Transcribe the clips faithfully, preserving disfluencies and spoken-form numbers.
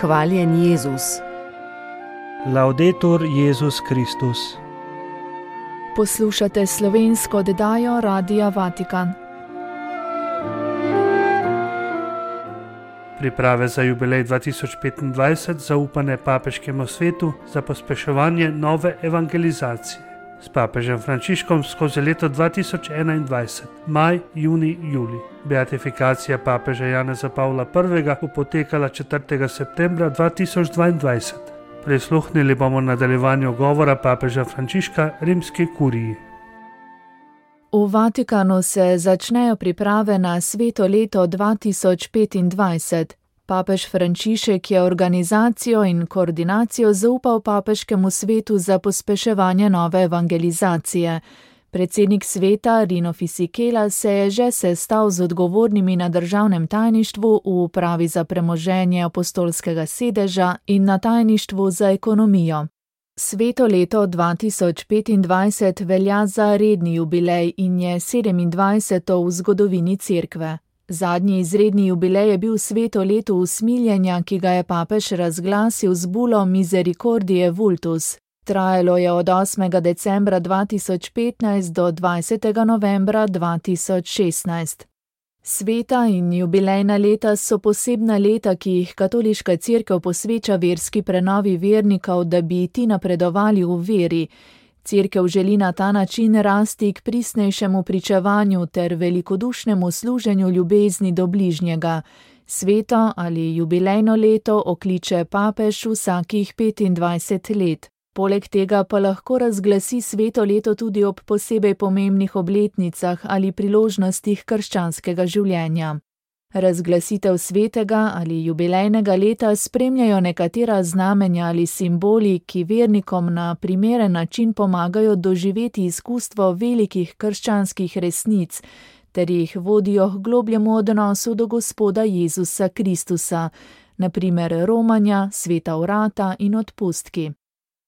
Hvaljen Jezus. Laudetur Jezus Kristus. Poslušate slovensko oddajo Radia Vatikan. Priprave za jubilej dva tisoč petindvajset zaupane papeškemu svetu za pospeševanje nove evangelizacije. S papežem Frančiškom skozi leto dva tisoč enaindvajset, maj, junij, julij. Beatifikacija papeža Janeza Pavla prvega bo potekala četrtega septembra dva tisoč dvaindvajset. Prisluhnili bomo nadaljevanju govora papeža Frančiška rimski kuriji. V Vatikanu se začnejo priprave na sveto leto dva tisoč petindvajset. Papež Frančišek je organizacijo in koordinacijo zaupal papeškemu svetu za pospeševanje nove evangelizacije. Predsednik sveta Rino Fisichella se je že sestal z odgovornimi na državnem tajništvu v upravi za premoženje apostolskega sedeža in na tajništvu za ekonomijo. Sveto leto dva tisoč petindvajset velja za redni jubilej in je sedemindvajseto v zgodovini Cerkve. Zadnji izredni jubilej je bil sveto leto usmiljenja, ki ga je papež razglasil z bulo Misericordiae Vultus. Trajalo je od osmega decembra dva tisoč petnajst do dvajsetega novembra dva tisoč šestnajst. Sveta in jubilejna leta so posebna leta, ki jih katoliška cerkev posveča verski prenovi vernikov, da bi ti napredovali v veri. Cerkev želi na ta način rasti k pristnejšemu pričevanju ter velikodušnemu služenju ljubezni do bližnjega. Sveto ali jubilejno leto okliče papež vsakih petindvajset let. Poleg tega pa lahko razglasi sveto leto tudi ob posebej pomembnih obletnicah ali priložnostih krščanskega življenja. Razglasitev svetega ali jubilejnega leta spremljajo nekatera znamenja ali simboli, ki vernikom na primeren način pomagajo doživeti izkustvo velikih krščanskih resnic, ter jih vodijo k globljemu odnosu do Gospoda Jezusa Kristusa, na primer romanja, sveta vrata in odpustki.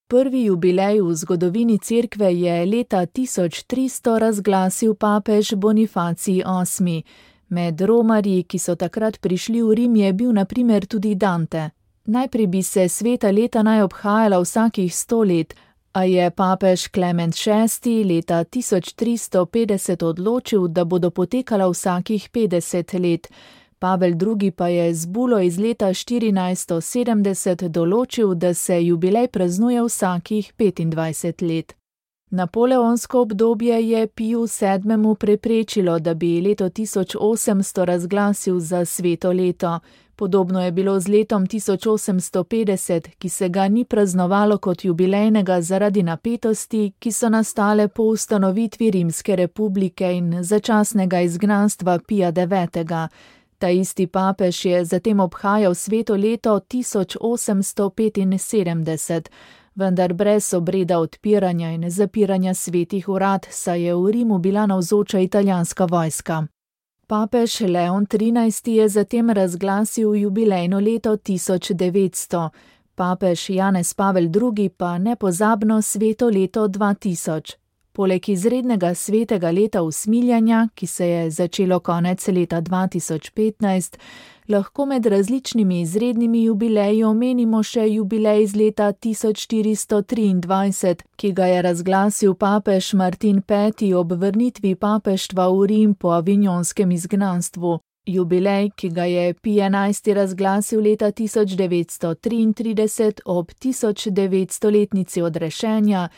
Prvi jubilej v zgodovini Cerkve je leta tisoč tristo razglasil papež Bonifacij osmi. Med romarji, ki so takrat prišli v Rim, je bil na primer tudi Dante. Najprej bi se sveta leta naj obhajala vsakih sto let, a je papež Klement šesti leta tisoč tristo petdeset odločil, da bodo potekala vsakih petdeset let. Pavel drugi pa je z bulo iz leta štirinajststo sedemdeset določil, da se jubilej praznuje vsakih petindvajset let. Napoleonsko obdobje je Piju sedmemu preprečilo, da bi leto tisoč osemsto razglasil za sveto leto. Podobno je bilo z letom tisoč osemsto petdeset, ki se ga ni praznovalo kot jubilejnega zaradi napetosti, ki so nastale po ustanovitvi Rimske republike in začasnega izgnanstva Pija devetega. Ta isti papež je zatem obhajal sveto leto tisoč osemsto petinsedemdeset, vendar brez obreda odpiranja in zapiranja svetih urad, saj je v Rimu bila navzoča italijanska vojska. Papež Leon trinajsti je zatem razglasil jubilejno leto tisoč devetsto, papež Janez Pavel drugi pa nepozabno sveto leto dva tisoč. Poleg izrednega svetega leta usmiljenja, ki se je začelo konec leta dva tisoč petnajst, lahko med različnimi izrednimi jubileji omenimo še jubilej iz leta tisoč štiristo triindvajset, ki ga je razglasil papež Martin peti ob vrnitvi papeštva v Rim po avignonskem izgnanstvu. Jubilej, ki ga je Pij enajsti razglasil leta tisoč devetsto triintrideset ob tisoč devetstoletnici odrešenja,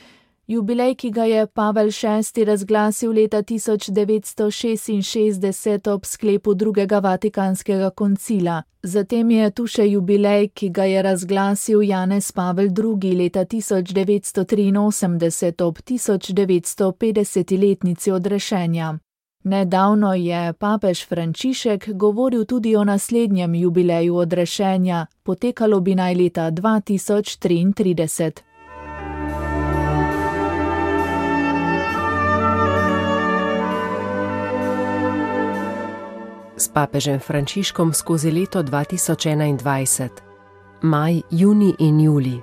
jubilej, ki ga je Pavel šesti razglasil leta tisoč devetsto šestinšestdeset ob sklepu drugega vatikanskega koncila. Zatem je tu še jubilej, ki ga je razglasil Janez Pavel drugi leta tisoč devetsto triinosemdeset ob tisoč devetsto petdesetiletnici odrešenja. Nedavno je papež Frančišek govoril tudi o naslednjem jubileju odrešenja, potekalo bi naj leta dva tisoč triintrideset. S papežem Frančiškom skozi leto dva tisoč enaindvajset. Maj, junij in julij.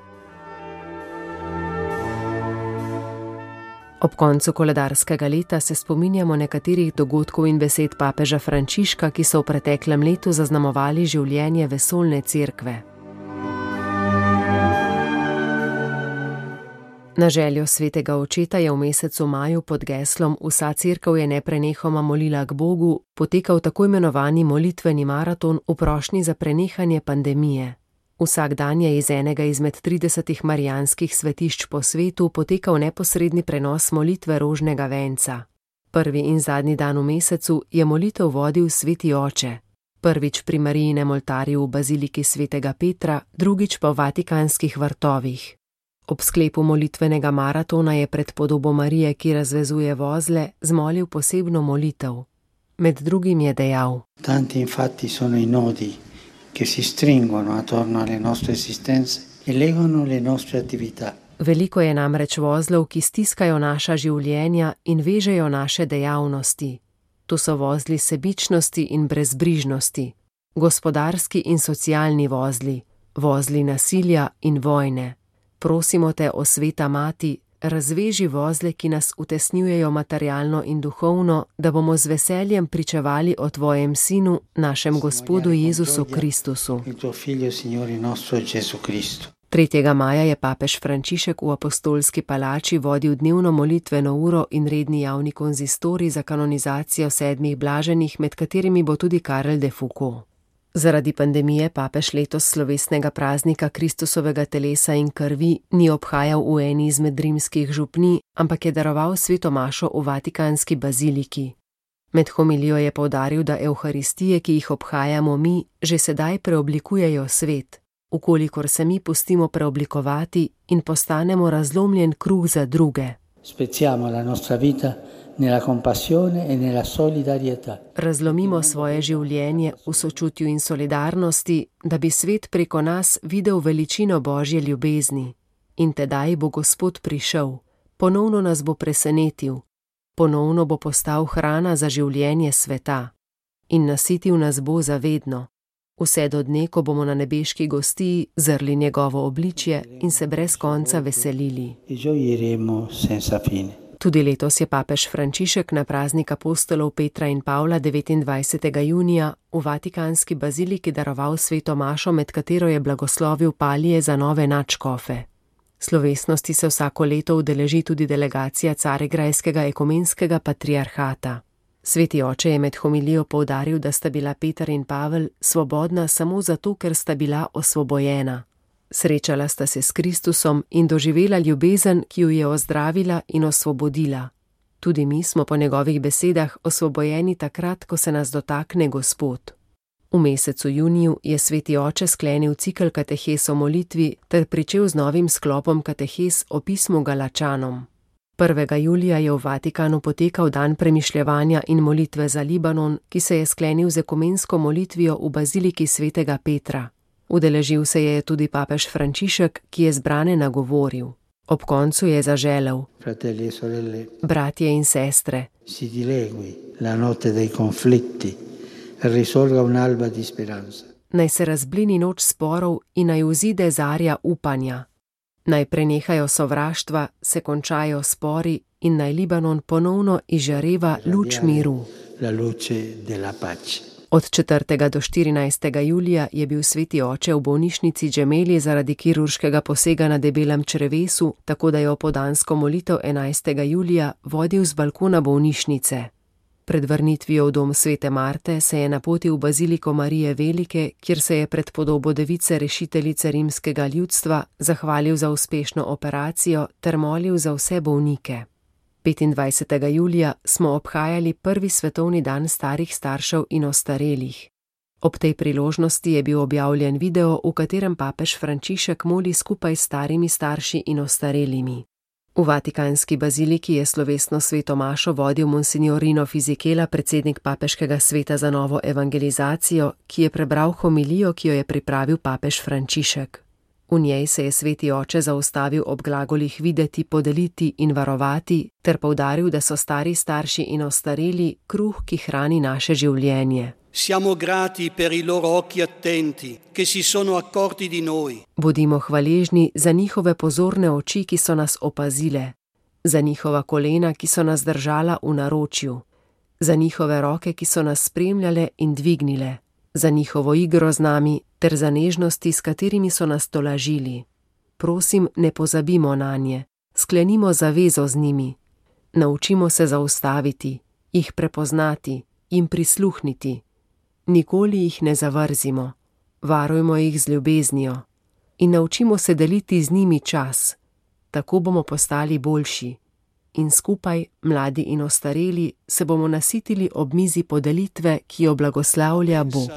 Ob koncu koledarskega leta se spominjamo nekaterih dogodkov in besed papeža Frančiška, ki so v preteklem letu zaznamovali življenje vesoljne cerkve. Na željo svetega očeta je v mesecu maju pod geslom Vsa cerkev je neprenehoma molila k Bogu potekal tako imenovani molitveni maraton v prošnji za prenehanje pandemije. Vsak dan je iz enega izmed tridesetih marijanskih svetišč po svetu potekal neposredni prenos molitve rožnega venca. Prvi in zadnji dan v mesecu je molitev vodil sveti oče. Prvič pri Marijinem oltarju v baziliki svetega Petra, drugič pa v vatikanskih vrtovih. Ob sklepu molitvenega maratona je pred podobo Marije, ki razvezuje vozle, zmolil posebno molitev. Med drugim je dejal: Tanti infatti sono i nodi che si stringono attorno alle nostre esistenze e legano le nostre attività. Veliko je namreč vozlov, ki stiskajo naša življenja in vežejo naše dejavnosti. To so vozli sebičnosti in brezbrižnosti, gospodarski in socialni vozli, vozli nasilja in vojne. Prosimo te, o sveta mati, razveži vozle, ki nas utesnjujejo materialno in duhovno, da bomo z veseljem pričevali o tvojem sinu, našem Gospodu Jezusu Kristusu. tretjega maja je papež Frančišek v apostolski palači vodil dnevno molitveno uro in redni javni konzistorij za kanonizacijo sedmih blaženih, med katerimi bo tudi Karel de Foucauld. Zaradi pandemije papež letos slovesnega praznika Kristusovega telesa in krvi ni obhajal v eni izmed rimskih župnij, ampak je daroval sveto mašo v vatikanski baziliki. Med homilijo je poudaril, da evharistije, ki jih obhajamo mi, že sedaj preoblikujejo svet, ukolikor se mi pustimo preoblikovati in postanemo razlomljen kruh za druge. Spezziamo la nostra vita nella compassione e nella solidarietà. Razlomimo svoje življenje v sočutju in solidarnosti, da bi svet preko nas videl veličino Božje ljubezni. In tedaj bo Gospod prišel, ponovno nas bo presenetil, ponovno bo postal hrana za življenje sveta in nasitil nas bo zavedno. Vse do dne, ko bomo na nebeški gostiji zrli njegovo obličje in se brez konca veselili. Tudi letos je papež Frančišek na praznik apostolov Petra in Pavla devetindvajsetega junija v vatikanski baziliki daroval sveto mašo, med katero je blagoslovil palije za nove nadškofe. Slovesnosti se vsako leto udeleži tudi delegacija Carigrajskega ekumenskega patriarhata. Sveti oče je med homilijo poudaril, da sta bila Peter in Pavel svobodna samo zato, ker sta bila osvobojena. Srečala sta se s Kristusom in doživela ljubezen, ki ju je ozdravila in osvobodila. Tudi mi smo po njegovih besedah osvobojeni takrat, ko se nas dotakne Gospod. V mesecu juniju je sveti oče sklenil cikel katehes o molitvi ter pričel z novim sklopom katehes o pismu Galačanom. prvega julija je v Vatikanu potekal dan premišljevanja in molitve za Libanon, ki se je sklenil z ekumensko molitvijo v baziliki svetega Petra. Udeležil se je tudi papež Frančišek, ki je zbrane nagovoril. Ob koncu je zaželel: Fratelli e sorelle, bratje in sestre, si dilegui la notte dei conflitti e risorga un'alba di speranza. Naj se razblini noč sporov in naj vzide zarja upanja. Naj prenehajo sovraštva, se končajo spori in naj Libanon ponovno izžareva luč miru. La luce della pace. Od četrtega do štirinajstega julija je bil sveti oče v bolnišnici Džemeli zaradi kirurškega posega na debelem črevesu, tako da je opoldansko molitev enajstega julija vodil z balkona bolnišnice. Pred vrnitvijo v dom svete Marte se je napotil v baziliko Marije Velike, kjer se je pred podobo device rešiteljice rimskega ljudstva zahvalil za uspešno operacijo ter molil za vse bolnike. petindvajsetega julija smo obhajali prvi svetovni dan starih staršev in ostarelih. Ob tej priložnosti je bil objavljen video, v katerem papež Frančišek moli skupaj s starimi starši in ostarelimi. V vatikanski baziliki je slovesno sveto mašo vodil monsignor Rino Fisichella, predsednik papeškega sveta za novo evangelizacijo, ki je prebral homilijo, ki jo je pripravil papež Frančišek. V njej se je sveti oče zaustavil ob glagolih videti, podeliti in varovati, ter poudaril, da so stari starši in ostareli kruh, ki hrani naše življenje. Siamo grati per i loro occhi attenti, che si sono accorti di noi. Bodimo hvaležni za njihove pozorne oči, ki so nas opazile, za njihova kolena, ki so nas držala v naročju, za njihove roke, ki so nas spremljale in dvignile, za njihovo igro z nami ter za nežnosti, s katerimi so nas tolažili. Prosim, ne pozabimo nanje, Sklenimo zavezo z njimi. Naučimo se zaustaviti, jih prepoznati, jim prisluhniti. Nikoli jih ne zavrzimo, varujmo jih z ljubeznijo in naučimo se deliti z njimi čas. Tako bomo postali boljši in skupaj, mladi in ostareli, se bomo nasitili ob mizi podelitve, ki jo blagoslavlja Bog.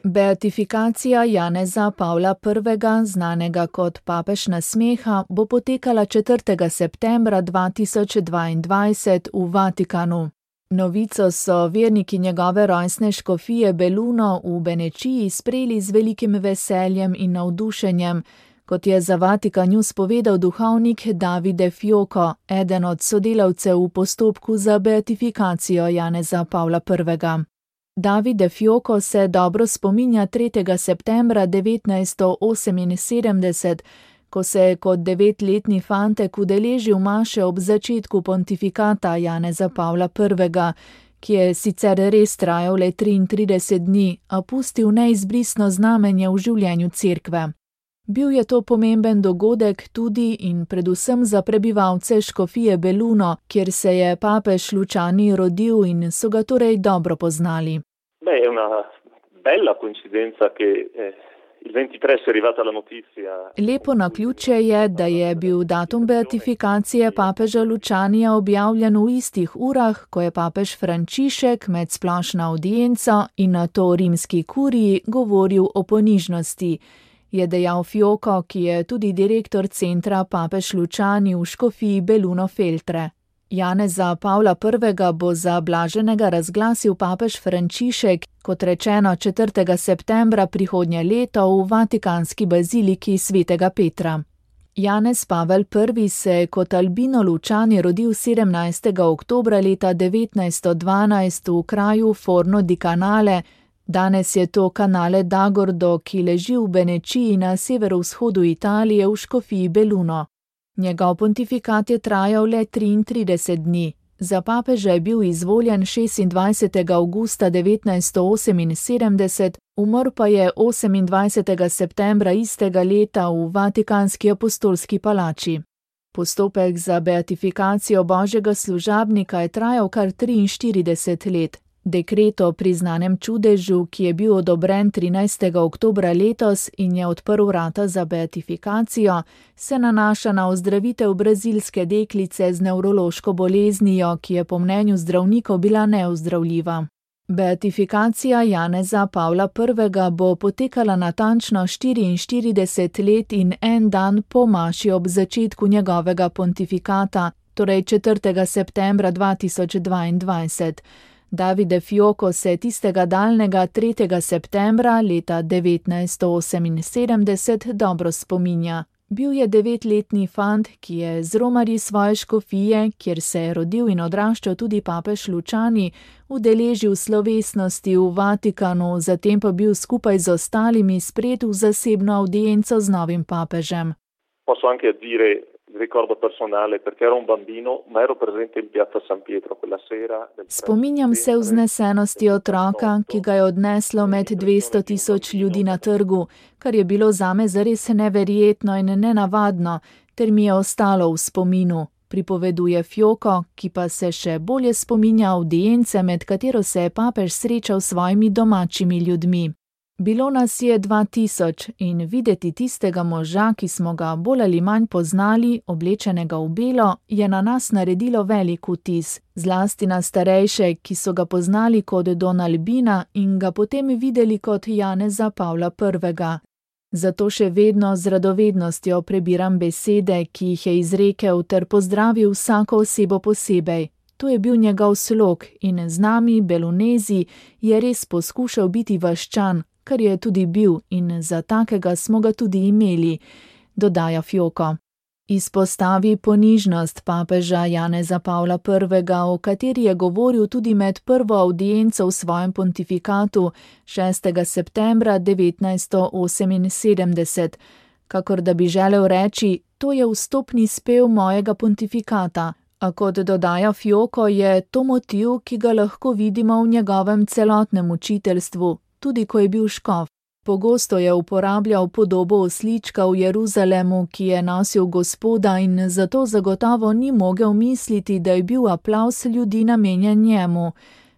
Beatifikacija Janeza Pavla prvega, znanega kot papež nasmeha, bo potekala četrtega septembra dva tisoč dvaindvajset v Vatikanu. Novico so verniki njegove rojstne škofije Belluno v Benečiji sprejeli z velikim veseljem in navdušenjem, kot je za Vatikan News povedal duhovnik Davide Fioco, eden od sodelavcev v postopku za beatifikacijo Janeza Pavla prvega. Davide Fioco se dobro spominja tretjega septembra devetnajststo oseminsedemdeset, ko se je kot devetletni fantek udeležil maše ob začetku pontifikata Janeza Pavla prvega, ki je sicer res trajal le triintrideset dni, a pustil neizbrisno znamenje v življenju cerkve. Bil je to pomemben dogodek tudi in predvsem za prebivalce škofije Belluno, kjer se je papež Luciani rodil in so ga torej dobro poznali. Beh, è una bella coincidenza che eh... Il ventitré è arrivata la notizia. Lepo naključje je, da je bil datum beatifikacije papeža Lucianija objavljen v istih urah, ko je papež Frančišek med splošno avdienco in nato rimski kuriji govoril o ponižnosti, je dejal Fioco, ki je tudi direktor centra Papež Luciani v škofiji Belluno Feltre. Janeza Pavla prvega bo za blaženega razglasil papež Frančišek, kot rečeno četrtega septembra prihodnje leto v vatikanski baziliki svetega Petra. Janez Pavel prvi se je kot Albino Luciani rodil sedemnajstega oktobra leta devetnajststo dvanajst v kraju Forno di Canale, danes je to Canale d'Agordo, ki leži v Benečiji na severovzhodu Italije v škofiji Belluno. Njegov pontifikat je trajal le triintrideset dni. Za papeža je bil izvoljen šestindvajsetega avgusta devetnajststo oseminsedemdeset, umrl pa je osemindvajsetega septembra istega leta v Vatikanski apostolski palači. Postopek za beatifikacijo božjega služabnika je trajal kar triinštirideset let. Dekret o priznanem čudežu, ki je bil odobren trinajstega oktobra letos in je odprl vrata za beatifikacijo, se nanaša na ozdravitev brazilske deklice z nevrološko boleznijo, ki je po mnenju zdravnikov bila neozdravljiva. Beatifikacija Janeza Pavla prvega bo potekala natančno štiriinštirideset let in en dan po maši ob začetku njegovega pontifikata, torej četrtega septembra dva tisoč dvaindvajset. Davide Fioco se tistega daljnega tretjega septembra leta devetnajststo oseminsedemdeset dobro spominja. Bil je devetletni fant, ki je z romarji svoje škofije, kjer se je rodil in odraščal tudi papež Luciani, udeležil slovesnosti v Vatikanu, zatem pa bil skupaj z ostalimi spred v zasebno avdienco z novim papežem. Posso anche dire ricordo personale perché ero un bambino ma ero presente in piazza San Pietro quella sera. Spominjam se vznesenosti otroka, ki ga je odneslo med dvesto tisoč ljudi na trgu, kar je bilo zame zares neverjetno in nenavadno, ter mi je ostalo v spominu, pripoveduje Fioco, ki pa se še bolje spominja avdience, med katero se je papež srečal s svojimi domačimi ljudmi. Bilo nas je dva tisoč in videti tistega moža, ki smo ga bolj ali manj poznali, oblečenega v belo, je na nas naredilo velik vtis, zlasti na starejše, ki so ga poznali kot Don Albina in ga potem videli kot Janeza Pavla prvega. Zato še vedno z radovednostjo prebiram besede, ki jih je izrekel ter pozdravil vsako osebo posebej. To je bil njegov slog in z nami, Bellunezi, je res poskušal biti vaščan, kar je tudi bil in za takega smo ga tudi imeli, dodaja Fioco. Izpostavi ponižnost papeža Janeza Pavla prvega, o kateri je govoril tudi med prvo avdienco v svojem pontifikatu šestega septembra devetnajststo oseminsedemdeset, kakor da bi želel reči, to je vstopni spev mojega pontifikata, a kot dodaja Fioco, je to motiv, ki ga lahko vidimo v njegovem celotnem učiteljstvu, tudi ko je bil škof. Pogosto je uporabljal podobo oslička v Jeruzalemu, ki je nosil Gospoda, in zato zagotovo ni mogel misliti, da je bil aplavz ljudi namenjen njemu.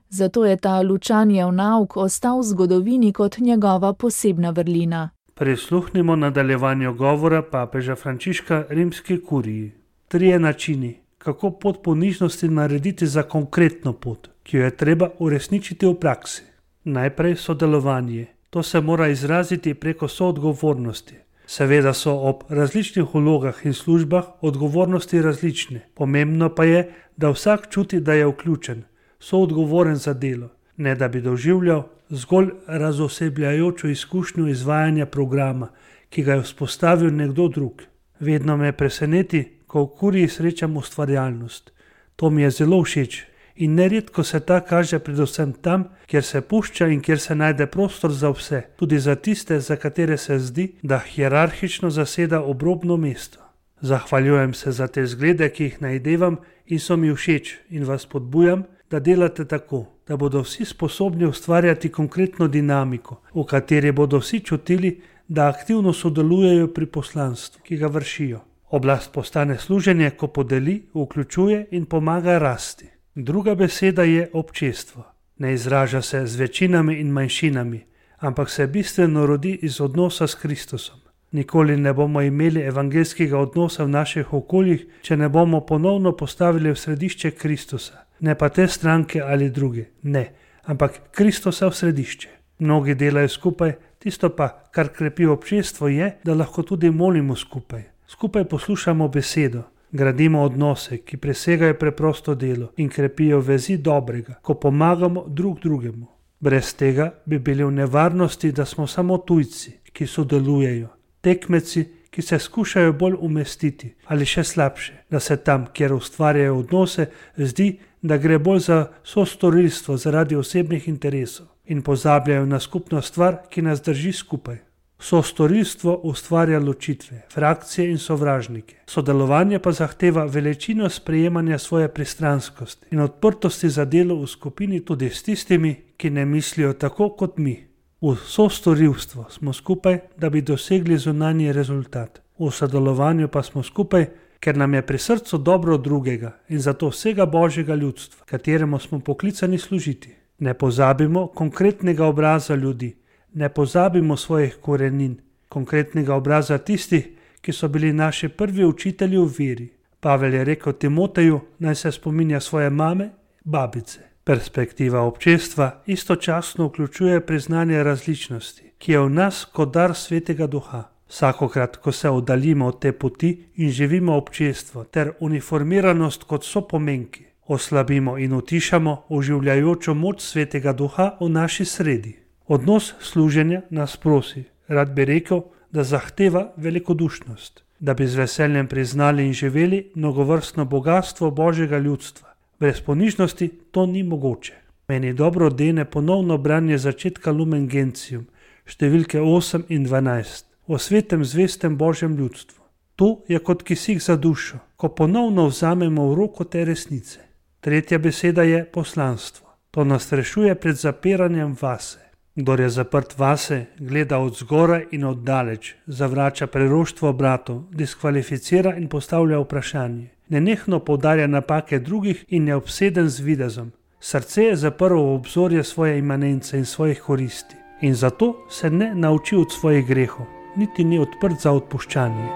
Zato je ta Lučanijev nauk ostal v zgodovini kot njegova posebna vrlina. Prisluhnimo nadaljevanju govora papeža Frančiška rimski kuriji. Trije načini, kako pot ponižnosti narediti za konkretno pot, ki jo je treba uresničiti v praksi. Najprej sodelovanje. To se mora izraziti preko soodgovornosti. Seveda so ob različnih vlogah in službah odgovornosti različne. Pomembno pa je, da vsak čuti, da je vključen, soodgovoren za delo, ne da bi doživljal zgolj razosebljajočo izkušnjo izvajanja programa, ki ga je vzpostavil nekdo drug. Vedno me preseneti, ko v kuriji srečam ustvarjalnost. To mi je zelo všeč. In neredko se ta kaže predvsem tam, kjer se pušča in kjer se najde prostor za vse, tudi za tiste, za katere se zdi, da hierarhično zaseda obrobno mesto. Zahvaljujem se za te zglede, ki jih najdevam in so mi všeč, in vas podbujam, da delate tako, da bodo vsi sposobni ustvarjati konkretno dinamiko, v kateri bodo vsi čutili, da aktivno sodelujejo pri poslanstvu, ki ga vršijo. Oblast postane služenje, ko podeli, vključuje in pomaga rasti. Druga beseda je občestvo. Ne izraža se z večinami in manjšinami, ampak se bistveno rodi iz odnosa s Kristusom. Nikoli ne bomo imeli evangeljskega odnosa v naših okoljih, če ne bomo ponovno postavili v središče Kristusa. Ne pa te stranke ali druge, ne, ampak Kristusa v središče. Mnogi delajo skupaj, tisto pa, kar krepi občestvo, je, da lahko tudi molimo skupaj. Skupaj poslušamo besedo. Gradimo odnose, ki presegajo preprosto delo in krepijo vezi dobrega, ko pomagamo drug drugemu. Brez tega bi bili v nevarnosti, da smo samo tujci, ki sodelujejo, tekmeci, ki se skušajo bolj umestiti, ali še slabše, da se tam, kjer ustvarjajo odnose, zdi, da gre bolj za sostorilstvo zaradi osebnih interesov in pozabljajo na skupno stvar, ki nas drži skupaj. Sostorilstvo ustvarja ločitve, frakcije in sovražnike. Sodelovanje pa zahteva veličino sprejemanja svoje pristranskosti in odprtosti za delo v skupini tudi s tistimi, ki ne mislijo tako kot mi. V sostorilstvu smo skupaj, da bi dosegli zunanji rezultat. V sodelovanju pa smo skupaj, ker nam je pri srcu dobro drugega in zato vsega Božjega ljudstva, kateremu smo poklicani služiti. Ne pozabimo konkretnega obraza ljudi. Ne pozabimo svojih korenin, konkretnega obraza tistih, ki so bili naši prvi učitelji v veri. Pavel je rekel Timoteju, naj se spominja svoje mame, babice. Perspektiva občestva istočasno vključuje priznanje različnosti, ki je v nas kot dar Svetega Duha. Vsakokrat, ko se oddaljimo od te poti in živimo občestvo ter uniformiranost kot sopomenki, oslabimo in utišamo oživljajočo moč Svetega Duha v naši sredi. Odnos služenja nas prosi, rad bi rekel, da zahteva velikodušnost, da bi z veseljem priznali in živeli mnogovrstno bogatstvo Božjega ljudstva. Brez ponižnosti to ni mogoče. Meni dobro dene ponovno branje začetka Lumen Gentium, številke osem in dvanajst, o svetem zvestem Božjem ljudstvu. To je kot kisik za dušo, ko ponovno vzamemo v roko te resnice. Tretja beseda je poslanstvo. To nas rešuje pred zapiranjem vase. Kdor je zaprt vase, gleda od zgoraj in od daleč, zavrača preroštvo bratov, diskvalificira in postavlja vprašanje. Nenehno poudarja napake drugih in je obseden z videzom. Srce je zaprlo v obzorje svoje imanence in svojih koristi. In zato se ne nauči od svojih grehov, niti ni odprt za odpuščanje.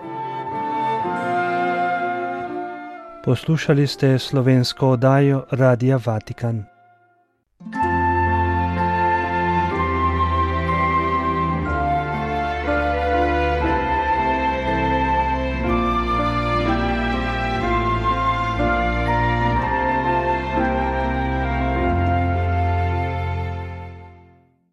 Poslušali ste slovensko oddajo Radia Vatikan.